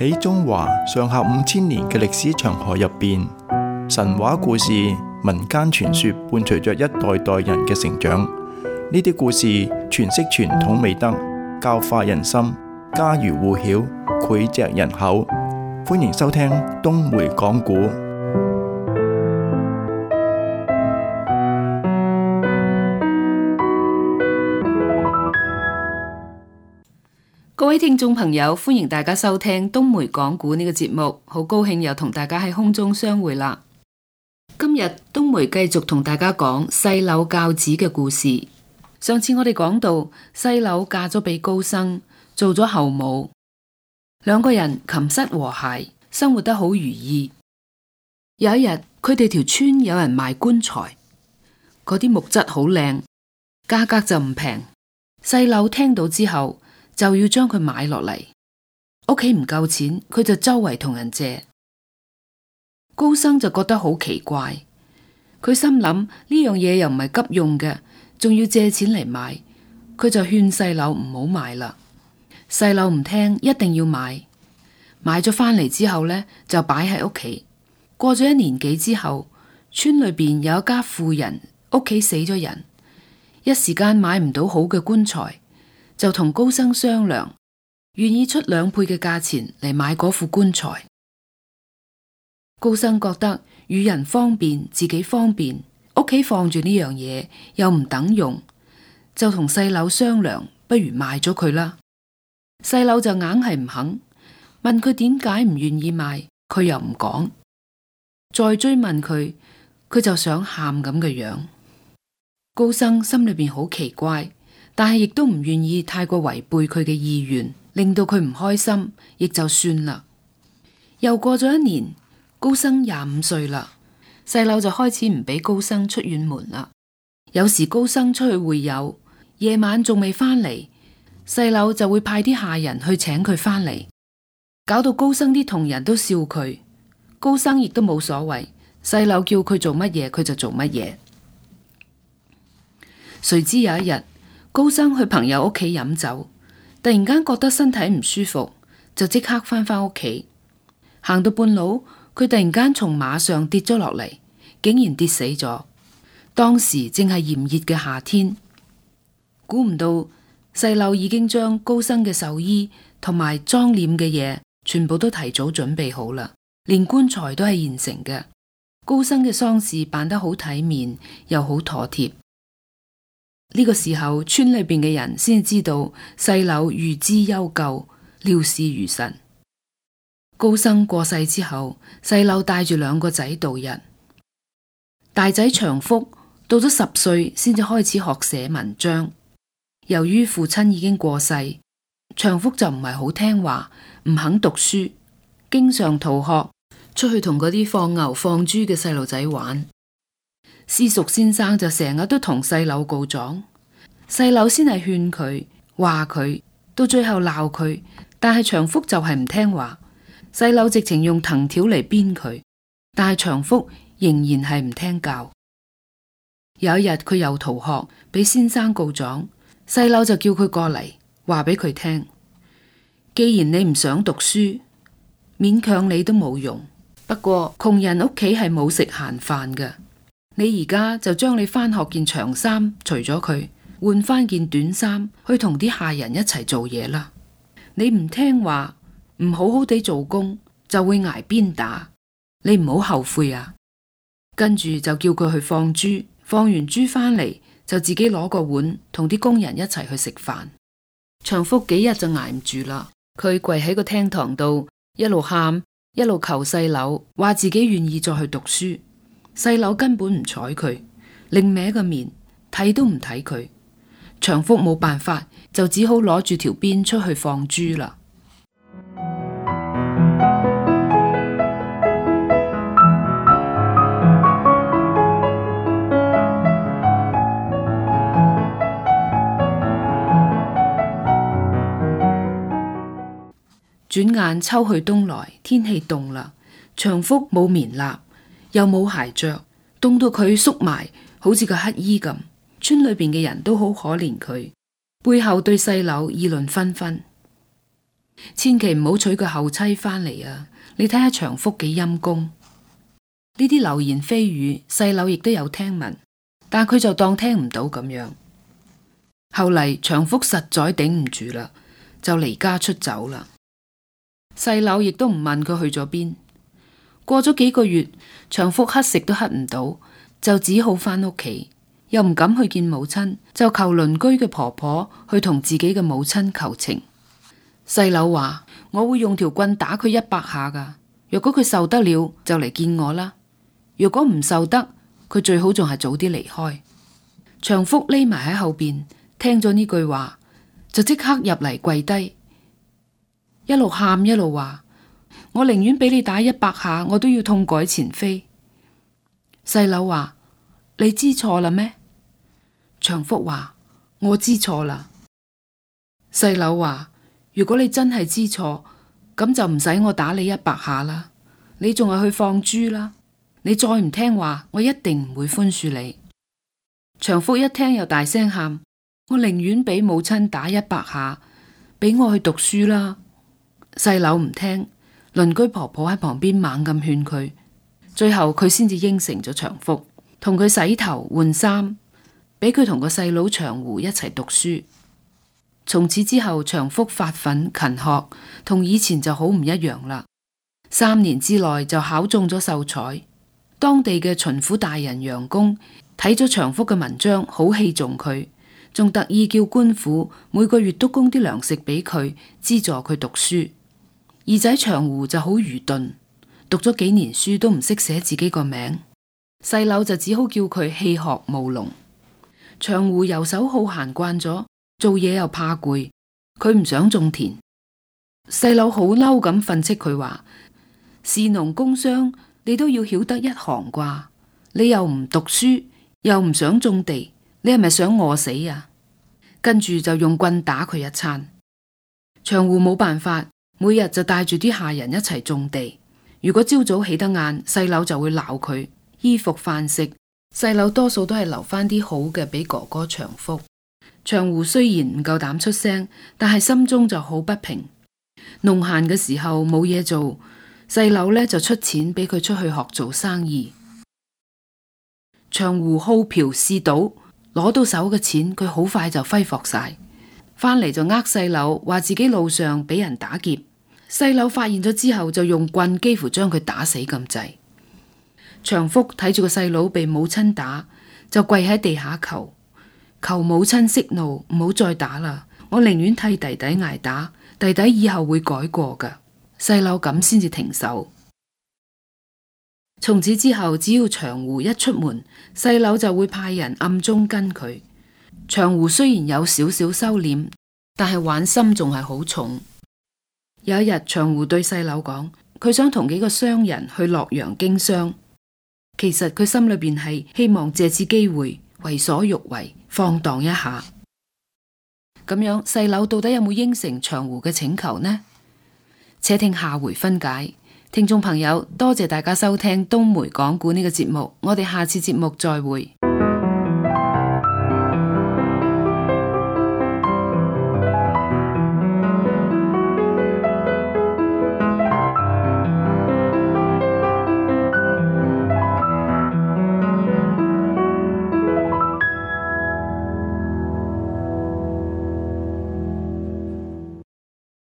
喺中華上下5000年嘅歷史長河入邊，神話故事、民間傳說伴隨着一代代人嘅成長。呢啲故事詮釋傳統美德，教化人心，家喻戶曉，膾炙人口。歡迎收聽東梅講古。各位聽眾朋友，歡迎大家收聽東梅講古呢個節目，好高興又同大家喺空中相會啦。今日東梅繼續同大家講細柳教子嘅故事。上次我哋講到細柳嫁咗俾高生，做咗後母，兩個人琴瑟和諧，生活得好如意。有一日，佢哋條村有人賣棺材，嗰啲木質好靚，價格就唔平。細柳聽到之後，就要將佢買落嚟，屋企唔夠錢，佢就周圍同人借。高生就覺得好奇怪，佢心諗呢樣嘢又唔係急用嘅，仲要借錢嚟買，佢就勸細柳唔好買啦。細柳唔聽，一定要買。買咗返嚟之後呢，就擺喺屋企。過咗1年幾之後，村裏邊有一家婦人屋企死咗人，一時間買唔到好嘅棺材，就同高生商量，願意出2倍嘅價錢嚟買嗰副棺材。高生覺得與人方便，自己方便，屋企放住呢樣嘢又唔等用，就同細柳商量，不如賣咗佢啦。細柳就硬係唔肯，問佢點解唔願意賣，佢又唔講。再追問佢，佢就想喊咁嘅樣。高生心裏邊好奇怪，但係亦都唔願意太過違背佢嘅意願，令到佢唔開心，亦就算啦。又過咗1年，高生25歲啦，細柳就開始唔俾高生出遠門啦。有時高生出去會友，夜晚仲未返嚟，細柳就會派啲下人去請佢返嚟，搞到高生啲同人都笑佢。高生亦都冇所謂，細柳叫佢做乜嘢佢就做乜嘢。誰知有一日，高生去朋友屋企飲酒，突然間覺得身體唔舒服，就即刻返屋企。行到半路，佢突然間從馬上跌咗落嚟，竟然跌死咗。當時正係炎熱嘅夏天，估唔到細柳已經將高生嘅壽衣同埋裝殮嘅嘢全部都提早準備好啦，連棺材都係現成嘅。高生嘅喪事辦得好體面，又好妥帖。呢個時候，村裏邊嘅人先知道細柳預知悠久，料事如神。高生過世之後，細柳帶住2個仔度日。大仔長福到咗10歲先至開始學寫文章。由於父親已經過世，長福就唔係好聽話，唔肯讀書，經常逃學，出去同嗰啲放牛放豬嘅細路仔玩。私塾先生就成日都同細柳告狀，細柳先係勸佢，話佢，到最後鬧佢，但係長福就係唔聽話。細柳直情用藤條嚟鞭佢，但係長福仍然係唔聽教。有一日佢又逃學，俾先生告狀，細柳就叫佢過嚟，話俾佢聽，既然你唔想讀書，勉強你都冇用。不過窮人屋企係冇食閒飯嘅，你而家就將你返學件長衫除咗佢，換返件短衫，去同啲下人一齊做嘢啦。你唔聽話，唔好好地做工，就會挨鞭打，你唔好後悔啊。跟住就叫佢去放豬，放完豬返嚟就自己攞個碗同啲工人一齊去食飯。長福幾日就挨唔住啦，佢跪喺個廳堂度，一路喊一路求細柳，話自己願意再去讀書。細柳根本唔睬佢，擰歪個面，睇都唔睇佢。長福冇辦法，就只好攞住條鞭出去放豬啦。轉眼秋去冬來，天氣凍啦，長福冇棉衲，又冇鞋着，凍到佢縮埋，好似個乞衣咁。村裏邊嘅人都好可憐佢，背後對細柳議論紛紛。千祈唔好娶個後妻返嚟啊！你睇下長福幾陰公。呢啲流言蜚語，細柳亦都有聽聞，但佢就當聽唔到咁樣。後嚟長福實在頂唔住啦，就離家出走啦。細柳亦都唔問佢去咗邊。過咗幾個月，長福乞食都乞唔到，就只好返屋企，又唔敢去見母親，就求鄰居嘅婆婆去同自己嘅母親求情。細柳話：我會用條棍打佢100下噶，若果佢受得了就嚟見我啦，若果唔受得，佢最好仲係早啲離開。長福匿埋喺後邊，聽咗呢句話，就即刻入嚟跪低，一路喊一路話：我寧願俾你打100下，我都要痛改前非。細柳話：你知錯啦咩？長福話：我知錯啦。細柳話：如果你真係知錯，咁就唔使我打你100下啦，你仲係去放豬啦。你再唔聽話，我一定唔會寬恕你。長福一聽又大聲喊：我寧願俾母親打100下，俾我去讀書啦。細柳唔聽，鄰居婆婆喺旁邊猛咁勸佢，最後佢先至應承咗長福，同佢洗頭換衫，俾佢同個細佬長湖一齊讀書。從此之後，長福發奮勤學，同以前就好唔一樣啦。3年之內就考中咗秀才。當地嘅巡撫大人楊公睇咗長福嘅文章，好器重佢，仲特意叫官府每個月都供啲糧食俾佢，資助佢讀書。二仔長湖就好愚鈍，讀咗幾年書都唔識寫自己個名。細柳就只好叫佢棄學務農。長湖游手好閒慣咗，做嘢又怕攰，佢唔想種田。細柳好嬲咁訓斥佢話：士農工商，你都要曉得一行啩？你又唔讀書，又唔想種地，你係咪想餓死啊？跟住就用棍打佢一餐。長湖冇辦法，每日就帶住啲下人一齊種地。如果朝早起得晏，細柳就會鬧佢。衣服飯食，細柳多數都係留翻啲好嘅俾哥哥長福。長湖雖然唔夠膽出聲，但係心中就好不平。農閒嘅時候冇嘢做，細柳呢就出錢俾佢出去學做生意。長湖好嫖嗜賭，攞到手嘅錢佢好快就揮霍晒，返嚟就呃細柳話自己路上俾人打劫。細柳發現咗之後就用棍幾乎將佢打死咁滯。長福睇住個細佬被母親打，就跪喺地下求母親息怒，唔好再打啦，我寧願替弟弟挨打，弟弟以後會改過噶。細柳咁先至停手。從此之後，只要長湖一出門，細柳就會派人暗中跟佢。長湖雖然有少少收斂，但係玩心仲係好重。有一日，長湖對細柳講，佢想同幾個商人去洛陽經商。其實佢心裏邊係希望借此機會為所欲為，放蕩一下。咁樣，細柳到底有冇應承長湖嘅請求呢？且聽下回分解。聽眾朋友，多謝大家收聽東梅講故呢個節目，我哋下次節目再會。